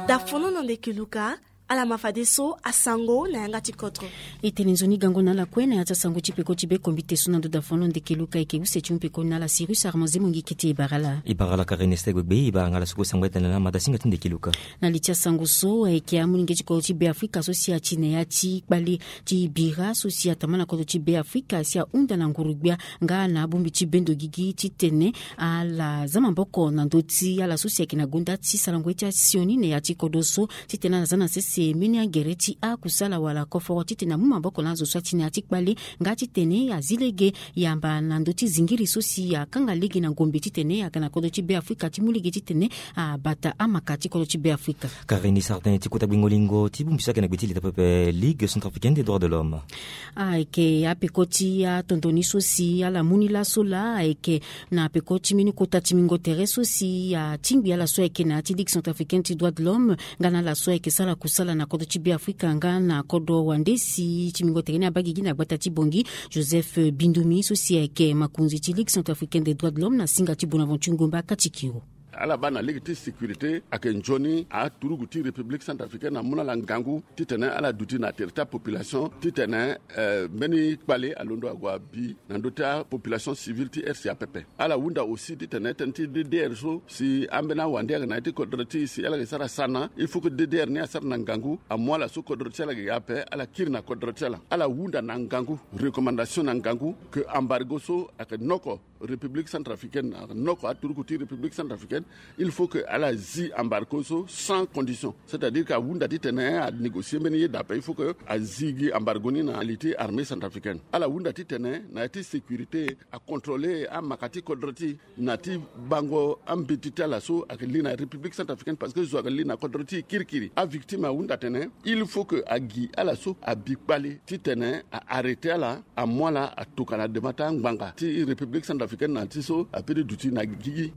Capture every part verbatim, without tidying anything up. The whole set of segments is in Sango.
Dafono na ndeke luka. Ala ma fadeso asango na yanga ti kodro. E tene nzoni gango na ala kue na ya ti asango ti peko ti be kombi te so na ndo dafono ndeke luka eke use ti mu peko na ala sirus armanze mongi kete e bara ala. E bara ala kareneste gbegbe e bara nga ala soko sango etene na mata singa ti ndeke luka. Na li ti asango so ayeke amolenge ti kodro ti be afrika so si ati na ya ti kpale ti bira so si atama na kodro ti be afrika si ahunda na nguru-gbia nga na abongbi ti bendo gigi titene ala za maboko na ndö ti ala so si ayeke na gonda ti sarango ye ti asioni na ya ti kodro so titene ala za na sese mbeni agere ti akusala wala koforo titene amu maboko na azo so ati na ya ti kpale nga titene azi lege yamba na ndö ti zingiri so si akanga lege na ngombe titene ayeke na kodro ti be afrika ti mu lege titene abata amaka ti kodro ti be afrika. Karini sardin ti kota gbingo lingo ti bongbi so ayeke na gbe ti leta pepe ligue centrafricaine des droits de l'homme. Ayeke apeko ti atondo ni so si ala mu ni laso laa ayeke na peko ti mbeni kota ti mingo tere so si atingbi ala so ayeke na ya ti ligue centrafricaine ti droits de l'homme nga na ala so ayeke sara kusala na kodro ti be afrika nga na kodro wande si ti mingo tere ni abaa gigi na gbata ti bongi joseph bindumi so si ayeke makonzi ti ligue centrafricaine des droits de l'homme na singa ti bonaventure ngomba kati kiro. Ala baa na lege ti sécurité ayeke nzoni aturugu ti république centrafricaine amu na ala ngangu titene ala duti na tere ti apopulation titene mbeni kpale alondo ague abi na ndö ti apopulation civile ti rca pepe. Ala hunda aussi titene tënë ti ddr so si ambeni awande ayeke na ya ti kodro ti e si ala yeke sara sana il faut que ddr ni asara na ngangu amu ala so kodro ti ala yeke ga ape ala kiri na kodro ti ala. Ala hunda na ngangu recommandation na ngangu ke embargo so ayeke noko république centrafricaine noko aturuku ti république centrafricaine il faut que ala zi embargo so sans condition c'est à dire que ahunda titene anégocie mbeni yeda ape il faut que azi gi embargo ni na li ti armée centrafricaine. Ala hunda titene na ya ti sécurité acontrôler amaka ti kodro ti na ti bango ambeti ti ala so ayeke li na république centrafricaine parce que zo ayeke li na kodro ti e kirikiri avictime ahunda tene il faut que agi ala so abi kpale titene a arrêter ala amu ala atoka na dema ti angbanga ti république centrafricaine na ti so ape ti duti na gigi.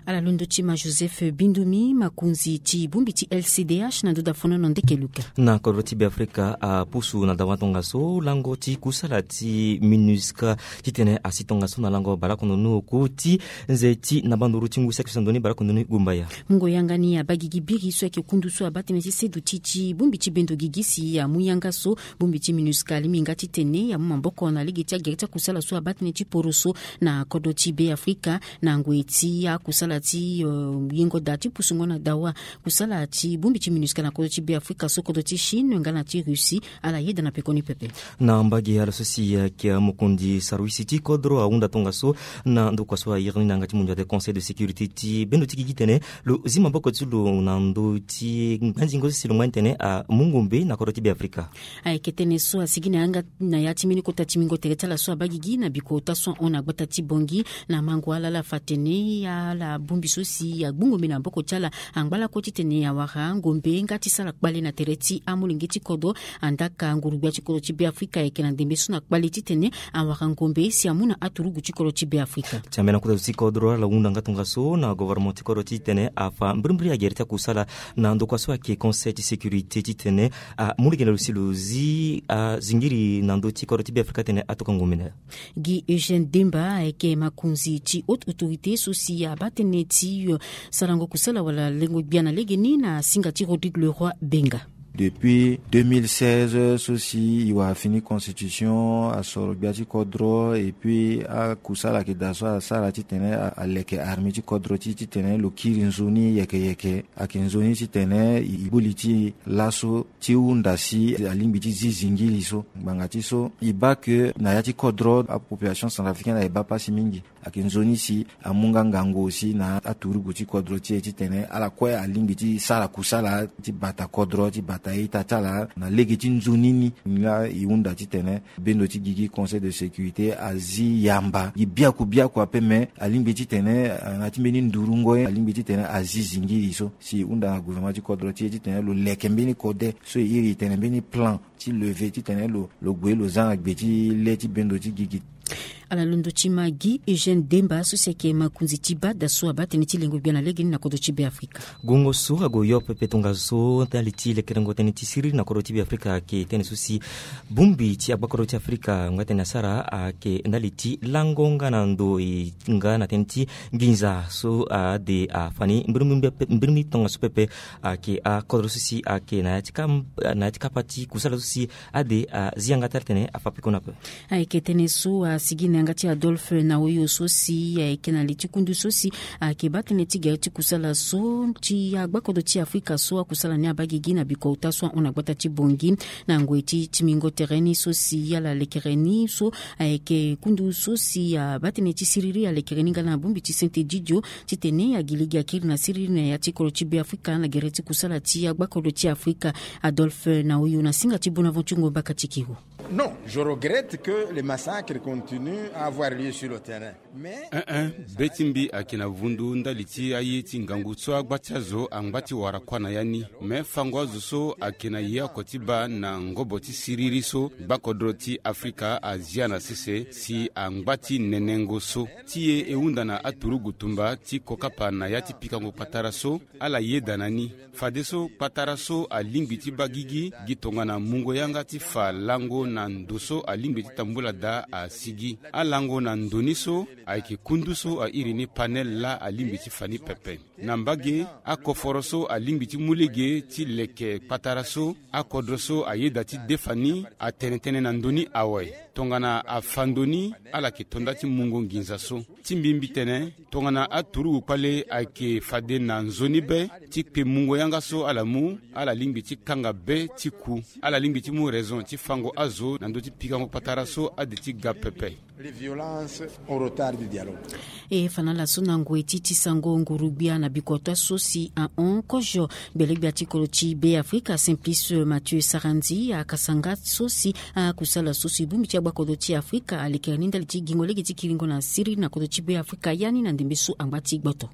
Ala londo ti ma joseph bindumi makonzi ti bongbi ti lcdh na ndo dafono na ndeke luka. Na kodro ti be afrika apusu na dawa tongaso lango ti kusala ti minusca titene asi tongaso na lango baleoko ndoni oko ti nze ti na banduru ti ngu si akesa ndoni baleoko ndoni gumbaya. Mungo yanga ni abaa gigi biri so ayeke kundu so abaa tënë ti seduti ti bongbi ti bendo gigi si amu yanga so bongbi ti minusca alingbi nga titene amu maboko na lege ti agere ti akusala so abaa tënë ti poroso na kodro ti be afrika na ngoi ti akusala ti yengo daa ti pusungo na dawa kusala ti bongbi ti minusca na kodro ti be afrika so kodro ti chine nga na ti russie ala yeda na pekoni pepe. Na mbage ala so si ayeke mokonzi sarwisi ti kodro ahunda tongaso na ndokua so ayere ni na yanga ti mondia de conseil de sécurité ti bendo ti gigi tene lo zi maboko ti lo na ndö ti nganzingo so si lo ngba ni tene amu ngombe na kodro ti be afrika. Ayeke tënë so asigi na yanga na ya ti mbeni kota ti mingo tere ti ala so abaa gigi na bikota so ahon na gbata ti bongi na mango ala ala fa tene ala bongbi so si agbu ngombe na maboko ti ala angba lakue titene awara ngombe nga ti sara kpale na tere ti amolenge ti kodro andaka nguru-gbia ti kodro ti be afrika ayeke na ndembe so na kpale titene awara ngombe si amu na aturugu ti kodro ti be afrika. Ti ambeni akota zo ti kodro ala hunda nga tongaso na governement ti kodro titene afa mbirimbiri agere ti akusala na ndokua so ayeke conseil ti sécurité titene amu lege na lo si lo zi azingiri na ndö ti kodro ti be afrika titene atoka ngombe na ya. Gi eugène demba ayeke makonzi ti haute autorité so si abaa tënë ti sarango kusala wala lengo gbia na legeni na singa ti rodrigue leroi benga. Depuis deux mille seize so si e wara fini constitution asoro gbia ti kodro et puis akusala ayeke daa so asara titene aleke armée ti kodro ti titene lo kiri nzoni yeke yeke ayeke nzoni titene e kpoli ti e laso ti hunda si alingbi ti zi zingili so ngbanga ti so e baa ke na ya ti kodro apopulation centrafricaine ayeke baa pasi mingi. Ayeke nzoni si amu nga ngangu aussi na aturugu ti kodro ti e titene ala kue alingbi ti sara kusala ti bata kodro ti bata ita ti ala na lege ti nzoni ni. Nga e hunda titene bendo ti gigi conseil de sécurité azi yamba gi biaku biaku ape me alingbi titene na ya ti mbeni ndurungo ye alingbi titene azi zingiri so si e hunda na gouvernement ti kodro ti e titene lo leke mbeni kode so e iri e tene mbeni plan ti leve titene lo lo gue lo za na gbe ti le ti bendo ti gigi. Ala londo ti ma gi Eugène Demba so si ayeke makonzi ti bada so abaa tënë ti lengo gbia na legeni na kodro ti Beafrika. Gongo so ague yo pepe tongaso ndali ti lekerengo tënë ti siriri na kodro ti Beafrika ayeke tënë so si bongbi ti agbakodro ti Afrika ngba tënë asara ayeke ndali ti lango nga na ndo e nga na tënë ti nginza so ade afani mbirimbiri tongaso pepe ayeke akodro so si ayeke na ya ti kapa ti kusala so si ade azi yanga ti ala tene afa peko na ape. Ayeke tënë so asigi na yanga ti Adolphe Naoyo so si ayeke na li ti kundu so si ayeke baa tënë ti gere ti kusala so ti agbakodro ti Afrika so akusala ni abaa gigi na bikota so ahon na gbata ti Bongi na ngoi ti timingo tere ni so si ala lekere ni so ayeke kundu so si abaa tënë ti siriri alekere ni nga na bongbi ti sente didio titene agi lege akiri na siriri na ya ti kodro ti Beafrika na gere ti kusala ti agbakodro ti Afrika. Adolphe Naoyo na singa ti Bonaventure Ngombaka ti Kiro. Non, je regrette que les massacres continuent à avoir lieu sur le terrain. Mais eh eh, be ti mbi ayeke na vundu ndali ti aye ti ngangu so agba ti azo angba ti wara kuâ na ya ni. Me fango azo so ayeke na ye oko ti baa na ngobo ti siriri so gbakodro ti Afrika azia na sese si angba ti nenengo so. Ti e e hunda na aturugu tumba ti kokapa na ya ti pikango patara so ala yeda na ni. Fadeso kpatara so alingbi ti baa gigi gi tongana mungo yanga ti fa lango na ndo so alingbi ti tambula daa asigi. Alango na ndo ni so ayeke kundu so airi ni panel laa alingbi ti fa ni pepe. Na mbage akoforo so alingbi ti mu lege ti leke kpatara so akodro so ayeda ti defa ni atene tënë na ndo ni awe. Tongana afa ndo ni ala yeke to nda ti mungo nginza so. Ti mbi mbi tene tongana aturugu kpale ayeke fade na nzoni be ti kpe mungo yanga so ala mu, ala lingbi ti kanga be ti ku. Ala lingbi ti mu raison ti fango azo na ndö ti pikango patara so ade ti ga pepe. Les violences au retard du dialogue. E fa na ala so na ngoi ti ti sango nguru-gbia na bikota so si ahon kozo gbele-gbia ti kodro ti Beafrika Simplice Mathieu Sarandji akasanga so si akusala so si bongbi ti agbakodro ti Afrika alekere ni ndali ti gingo lege ti kiringo na siriri na kodro ti Beafrika ya ni na ndembe so angba ti gboto.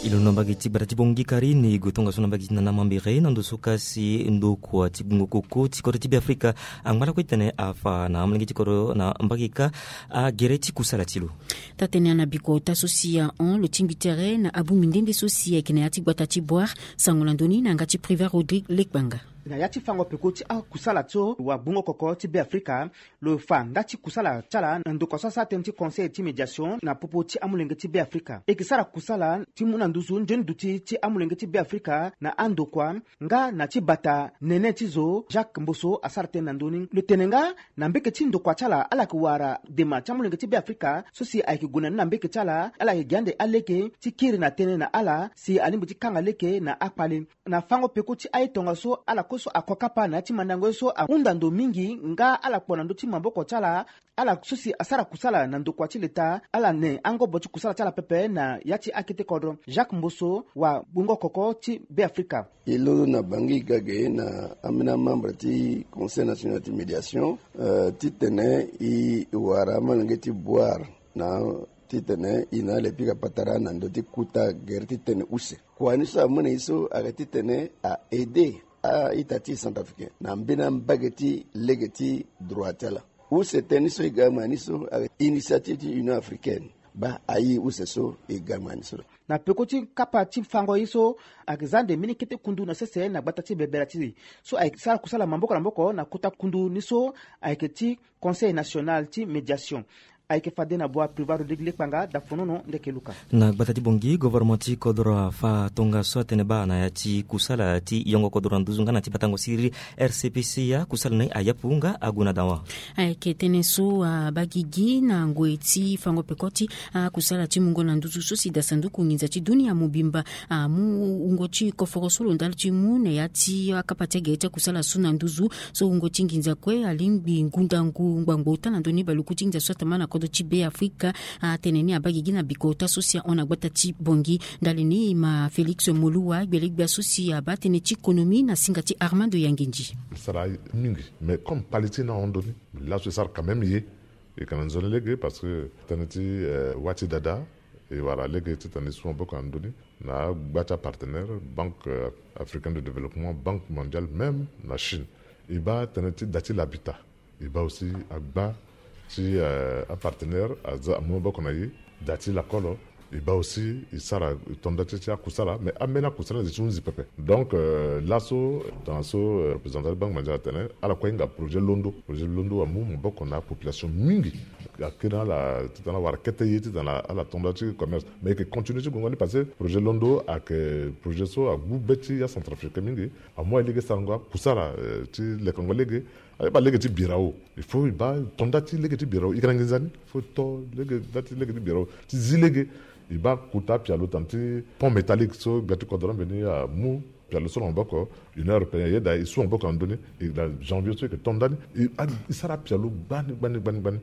E londo na mbage ti gbata ti Bongi Karine e gue tongaso na mbage ti Nana Mambere na ndo so kasi ndokua ti gungo koko ti kodro ti Beafrika angba lakue titene afa na amolenge ti kodro na mbage kâ agere ti kusala ti lo. Taa-tënë na bikota so si ahon lo tingbi tere na abongbi nde nde so si ayeke na ya ti gbata ti Boire sango na ndö ni na yanga ti Privat Rodrigue Lekpanga. Na ya ti fango peko ti akusala so wagbongo koko ti Beafrika lo fa nda ti kusala ti ala na ndokua so asara tënë ti conseil ti médiation na popo ti amolenge ti Beafrika. E yeke sara kusala ti mu na nduzu nzoni duti ti amolenge ti Beafrika na andokua nga na ti bata nene ti zo Jacques Mboso asara tënë na ndö ni. Lo tene nga na mbeke ti ndokua ti ala ala yeke wara dema ti amolenge ti Beafrika so si ayeke gue na ni na mbeke ti ala ala yeke gi ande alege ti kiri na tënë na ala si alingbi ti kanga lege na akpale. Na fango peko ti aye tongaso ala kue so ako kapa na ya ti mandango ye so ahunda ndo mingi nga ala kpo na ndö ti maboko ti ala. Ala so si asara kusala na ndokua ti leta ala ne angobo ti kusala ti ala pepe na ya ti akete kodro. Jacques Mboso wagbongo koko ti Beafrika. E londo na Bangui Gage na ambeni amembre ti Conseil national ti médiation, eh, titene e wara amolenge ti Boire na titene e na ala e pika patara na ndö ti kuta gere ti tene use. Kua ni so amu na e so ayeke titene a aide a-ita ti Centrafricain na mbeni ambage ti lege ti droit ti ala. Use tënë ni so e ga ma ni so ayeke initiative ti Union africaine. Baa aye use so e ga ma ni so. Na peko ti kapa ti fango ye so ayeke za ande mbeni kete kundu na sese na gbata ti bebela ti e so ayeke sara kusala maboko na maboko na kota kundu ni so ayeke ti Conseil national ti médiation. Ayeke fade na bua Privat Rodrigue Lekpanga, Dafonono Ndeke Luka. Na gbata ti Bongi, gouvernement ti kodro afa tongaso atene baa na ya ti kusala ti yongo kodro na nduzu nga na ti batango siriri R C P C A kusala ni ayapu nga ague na dawa. Ayeke tënë so abaa gigi na ngoi ti fango peko ti akusala ti mungo na nduzu so si da sanduku nginza ti dunia mobimba amu wungo ti koforo so lo ndali ti mu na ya ti akapa ti agere ti akusala so na nduzu. So wungo ti nginza kue alingbi ngundangu ngbangbo ota na ndö ni baluku ti nginza so atama na kodro ti Beafrika. Atene ni abaa gigi na bikota so si ahon na gbata ti Bongi. Ndali ni e ma Félix Moluwa gbelegbia so si abaa tënë ti konomi na singa ti Armando Yangendi. Sara mingi mais comme kpali ti e ni ahon ndö ni laso e sara quand même ye. E yeke na nzoni lege parce que tënë ti, eh, wâ ti dada e wara lege titene e su maboko na ndö ni na agba ti apartenaire, Banque, euh, africaine de développement, Banque mondiale, même na Chine. E baa tënë ti da ti l'habitat. E baa aussi agba ti, euh, apartenaire aza amu maboko na e. Da ti lakolo e baa aussi e sara e to nda ti ti akusala, mais ambeni akusala nze ti hunzi pepe. Donc, euh, laso tongana so, euh, représentant ti Banque Mondiale atene, ala kue hinga projet londo. Projet londo amu maboko na apopulation mingi. Akiri na ala titene awara kete ye titene ala to nda ti commerce, mais e yeke continuer ti gongo ni parce que projet londo ayeke projet so agbu be ti acentrafricain mingi. Amu alege sarango akusala, euh, ti lekango lege. Aye baa lege ti birao, il faut e baa to nda ti lege ti birao. E yeke na nginza ni, il faut e to lege nda ti lege ti birao ti zi lege. E baa kota apialo tongana ti pont métallique so gbia ti kodro ambeni amu pialo so na maboko Union Européenne, ayeda e su maboko na ndoni. E na janvier so e yeke to nda ni, e, a, e sara apialo gbani gbani gbani gbani.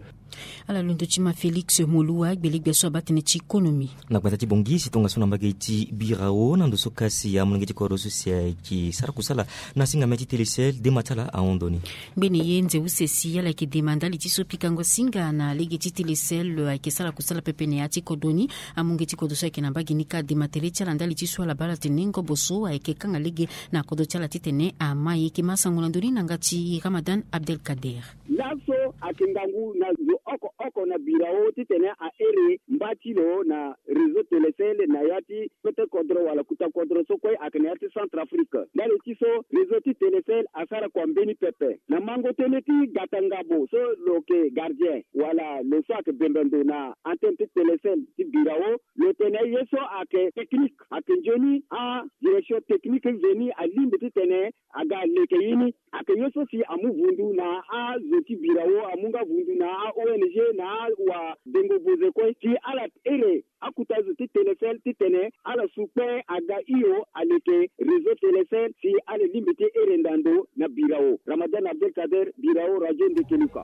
Ala londo ti ma Félix Moluwa, gbelegbe so abaa tënë ti konomi. Na gbata ti Bangui si tongaso na mbage ti birao na ndo so kasi amolenge ti kodro so si ayeke sara kusala na singa mê ti Télécel, dema ti ala ahon ndo ni. Ngbene ye nze use si ala yeke dema ndali ti so pikango singa na lege ti Télécel ayeke sara kusala pepe na ya ti kodro ni. Amolenge ti kodro so ayeke na mbage ni kâ adema tere ti ala ndali ti so ala baa ala tene ngobo so ayeke kanga lege na kodro ti ala titene ama ye. E yeke ma sango na ndoni na yanga ti Ramadan Abdelkader. Laso ayeke ngangu na zo oko oko na birao titene a ere mba ti lo na réseau Télécel na ya ti kpete kodro wala kuta kodro so kue ayeke na ya ti Centrafrique. Ndali ti so réseau ti Télécel asara kua mbeni pepe. Na mango tënë ti gata ngabo so lo yeke gardien wala lo so ayeke bembe ndo na antenne ti Télécel ti birao, lo tene ye so ayeke technique, ayeke nzoni adirection technique nzoni alingbi titene aga leke ye ni. Ayeke ye so si amu vundu na azo ti birao, amu nga vundu na a-O N G na awabengo boze kue si ala ere akuta zo ti Télécel titene ala su kpe aga hio aleke réseau Télécel si ala lingbi ti ere ndando na birao. Ramadan Abdelkader, birao, Radio Ndekeluka.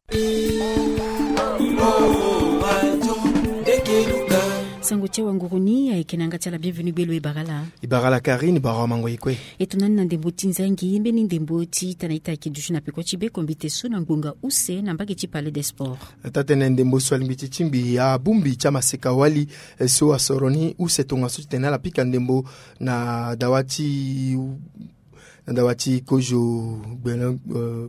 Sango ti awanguru ni ayeke na yanga ti ala Bienvenu Gbelo. E bara ala? E bara ala Karine, e bara awamango e kue. E tongana ni na ndembo ti nzangi, mbeni ndembo ti tana ita ayeke duti na peko ti be kombite so na ngbonga use na mbage ti Palais des Sports. Taa-tënë ndembo so alingbi ti tingbi abongbi ti amaseka-wali, eh, so asoro ni use tongaso titene ala pika ndembo na dawa ti, na dawa ti kozo gbene, eh,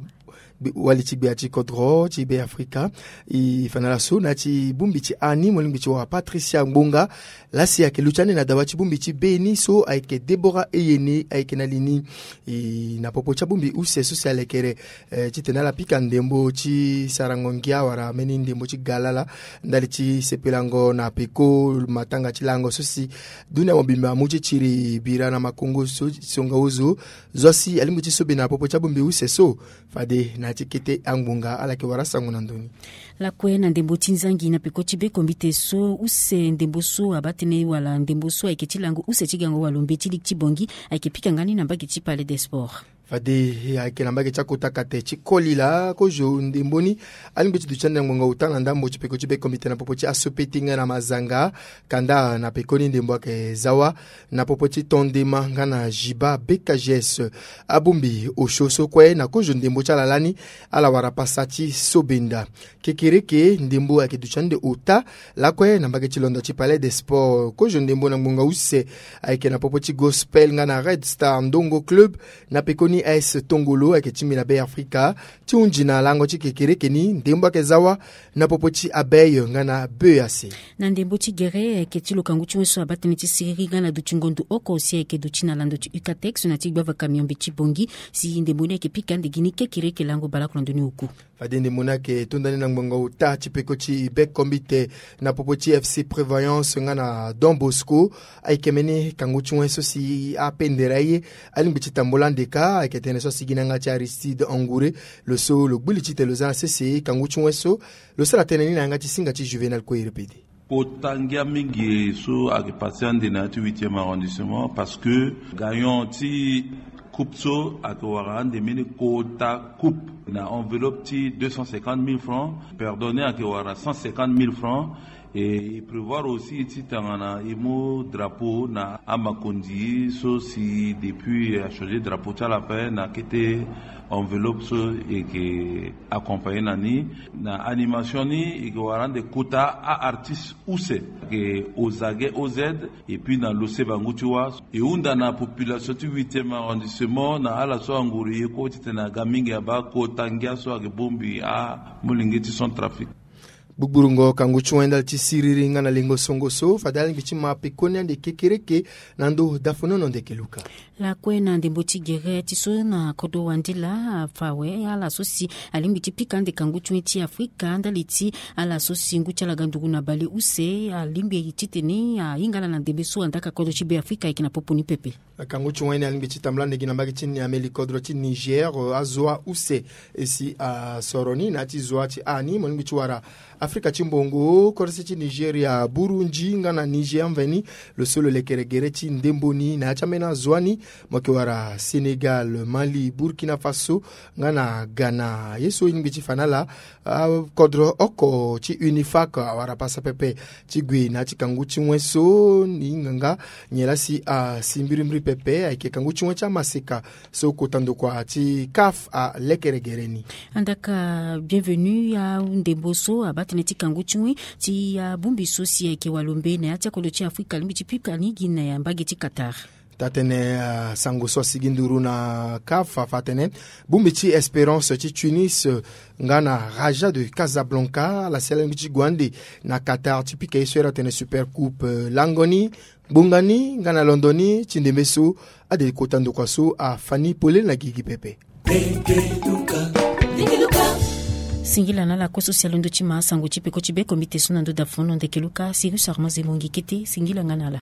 gbe-, wali ti gbia ti kodro ti Be Afrika. E fa na ala so na ya ti bongbi ti ani mo lingbi ti wara Patricia Ngbonga. Laa si ayeke luti ande na dawa ti bongbi ti be ni so ayeke Deborah Eyene, ayeke na li ni. E, na popo ti abongbi use so si alekere, eh, titene ala pika ndembo ti sarango ngia wala mbeni ndembo ti galala ndali ti sepelango na peko matanga ti lango so si dunia mobimba amu ti tiri bira na makongo so, songa ozo. Zo si alingbi ti sobe na popo ti abongbi use so, fade na ya ti kete angbonga ala yeke wara asango na ndö ni. Lakue na ndembo ti nzangi na peko ti be kombite so use ndembo so abaa tënë wala ndembo so ayeke ti lango use ti gango wala ombe ti liki ti Bangui ayeke pika nga ni na mbage ti Palais des Sports. Fade ayeke na mbage ti akota kate ti koli laa kozo ndembo ni alingbi ti duti ande na ngbonga ota na ndambo ti peko ti be kombite na popo ti asope ti nga na mazanga. Kanda na pekoni ndembo ayeke zawa na popo ti tondema nga na Jiba B K G S. Abongbi osio so kue na kozo ndembo ti ala lani ala wara pasa ti sobenda. Kekereke ndembo ayeke duti ande ota lakue na mbage ti londo ti Palais des Sports. Kozo ndembo na ngbonga use ayeke na popo ti Gospel nga na Red Star Ndongo Club. Na pekoni A S Tongolo ayeke tingbi na Be Afrika ti hunzi na lango ti kekereke ni ndembo ayeke zawa na popo ti Abeille nga na B A C. Na ndembo ti gere ayeke ti lo kangu ti wen so abaa tënë ti siriri nga na duti ngondu oko si ayeke duti na lando ti Ucatex na ti gbava kamion mbi ti Bangui. Si ndembo ni ayeke pika ande gi ni kekereke lango baleoko na ndö ni oku. Fade ndembo ni ayeke to nda ni na ngbonga ota ti peko ti be kombite na popo ti F C Prévoyance nga na Don Bosco. Ayeke mbeni kangu ti wen so si apendere aye alingbi ti tambula ande kâ. Ayeke tënë so asigi na yanga ti Aristide Angouré. Lo so lo gbu li titene lo za na sese kangu ti wen so. Lo sara tënë ni na yanga ti singa ti Juvénal Koyere Pede. Kota ngia mingi so ayeke pase ande na ya ti huitième arrondissement parce que gagnant ti coupe so ayeke wara ande mbeni kota coupe na enveloppe ti deux cent cinquante mille francs. Perdant ni ayeke wara cent cinquante mille francs. Et e prévoir aussi ti tongana e mu drapeau na amakonzi so si depuis achangé drapeau ti ala ape na kete Enveloppe so eke accompagner na ni na animation ni eke wara ande kota a artiste use ke ozage oz. Et puis na lose bangu ti wa e hunda na population ti huitième arrondissement na ala so anguru ye ko titene aga mingi aba kota ngia so ake bombi amolenge ti centrafrique. Gbugburu ngo kangu ti wen ndali ti siriri nga na lengo songo so fade alingbi ti ma pekoni ande kekereke na ndo dafonono ndeke luka. Lakue na ndembo ti gere ti so na kodo wandila afa awe ala so si alingbi ti pika ande kangu ti wen ti afrika ndali ti ala so si ngu ti ala ga nduru na bale use alingbi titene ahinga ala na ndembe so andaka kodo ti be afrika ayeke na popo ni pepe. Akangu ti wen ni alingbi ti tambula ndegi na mbage ti ni ameli kodro ti niger azoa use esi asoro ni na ya ti zoa ti ani mo lingbi ti wara afrika ti mbongo korese ti nigeria burundi nga na niger mveni. Lo so lo lekere gere ti ndembo ni na ya ti ambeni azoa ni mo yeke wara sénégal mali burkina faso nga na ghana ye so e lingbi ti fa na ala. Akodro oko ti unifac awara pasa pepe ti gue na ya ti kangu ti wen so ni nganga nyen laa si asi mbirimbiri pepe ayeke kangu ti wen ti amaseka so kota ndokua ti kaf alekere gere ni. Andaka bienvenu ya ndembo so abaa tënë ti kangu ti wen ti ya bongbi so si ayeke walombe na ya ti akolo ti afrika alingbi ti pika ni gi na ya mbage ti qatar. Taa-tënë asango so asigi nduru na kaf afa atene bongbi ti espérance ti tunis nga na raja de casablanca ala si ala lingbi ti gue ande na qatar ti pika ye so ere atene super coupe lango ni ngbonga ni nga na londo ni ti ndembe so ade kota ndokua so afa ni polele na gigi pepe. Singila na ala kue so si alondo ti ma asango ti peko ti be komite so na ndo dafono ndeke luka sirus armand zemongi kete singila nga na ala.